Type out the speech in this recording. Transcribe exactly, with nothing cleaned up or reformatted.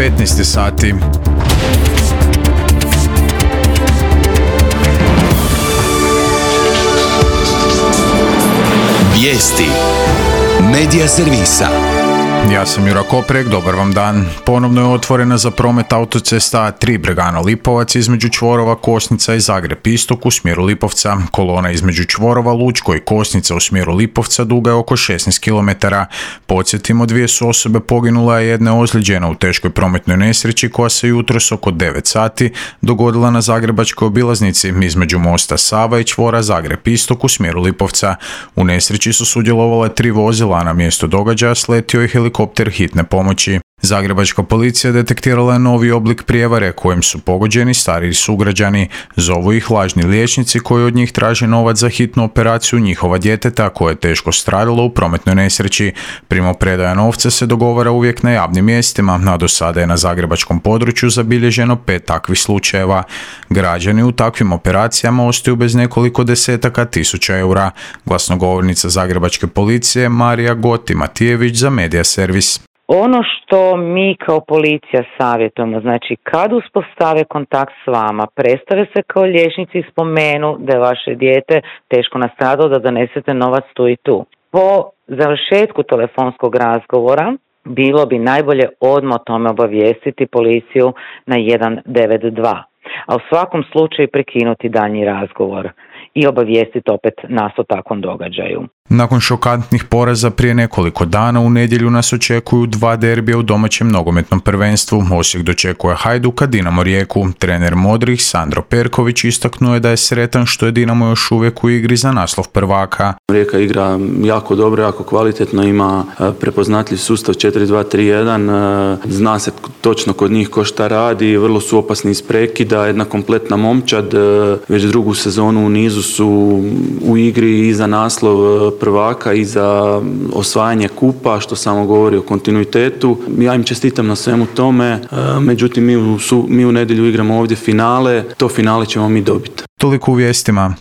petnaest je sati. Vijesti Medija servisa. Ja sam Jura Koprek, dobar vam dan. Ponovno je otvorena za promet autocesta A tri Bregana Lipovac između čvorova Kosnica i Zagreb Istok u smjeru Lipovca. Kolona između čvorova Lučko i Kosnica u smjeru Lipovca duga je oko šesnaest kilometara. Podsjetimo, dvije su osobe poginule, a jedna je ozlijeđena u teškoj prometnoj nesreći koja se jutros oko devet sati dogodila na zagrebačkoj obilaznici između mosta Sava i čvora Zagreb Istok u smjeru Lipovca. U nesreći su sudjelovale tri vozila, a na mjesto događaja sletio i helikopter hitne pomoći. Zagrebačka policija detektirala je novi oblik prijevare kojim su pogođeni stariji sugrađani. Zovu ih lažni liječnici koji od njih traže novac za hitnu operaciju njihova djeteta koje je teško stradalo u prometnoj nesreći. Primopredaja novca se dogovara uvijek na javnim mjestima, a do sada je na zagrebačkom području zabilježeno pet takvih slučajeva. Građani u takvim operacijama ostaju bez nekoliko desetaka tisuća eura. Glasnogovornica zagrebačke policije Marija Goti Matijević za Medija servis. Ono što mi kao policija savjetujemo, znači kad uspostave kontakt s vama, predstave se kao liječnici i spomenu da je vaše dijete teško nastradalo, da donesete novac tu i tu. Po završetku telefonskog razgovora bilo bi najbolje odmah o tome obavijestiti policiju na jedan devet dva, a u svakom slučaju prekinuti daljnji razgovor i obavijestiti opet nas o takvom događaju. Nakon šokantnih poraza prije nekoliko dana u nedjelju nas očekuju dva derbija u domaćem nogometnom prvenstvu. Osijek dočekuje Hajduka, Dinamo Rijeku. Trener modrih Sandro Perković istaknuo je da je sretan što je Dinamo još uvijek u igri za naslov prvaka. Rijeka igra jako dobro, jako kvalitetno, ima prepoznatljiv sustav četiri dva tri jedan, zna se točno kod njih ko šta radi, vrlo su opasni iz prekida, jedna kompletna momčad, već drugu sezonu u nizu su u igri i za naslov prvaka i za osvajanje kupa, što samo govori o kontinuitetu. Ja im čestitam na svemu tome, međutim mi u, mi u nedjelju igramo ovdje finale, to finale ćemo mi dobiti. Toliko u vijestima.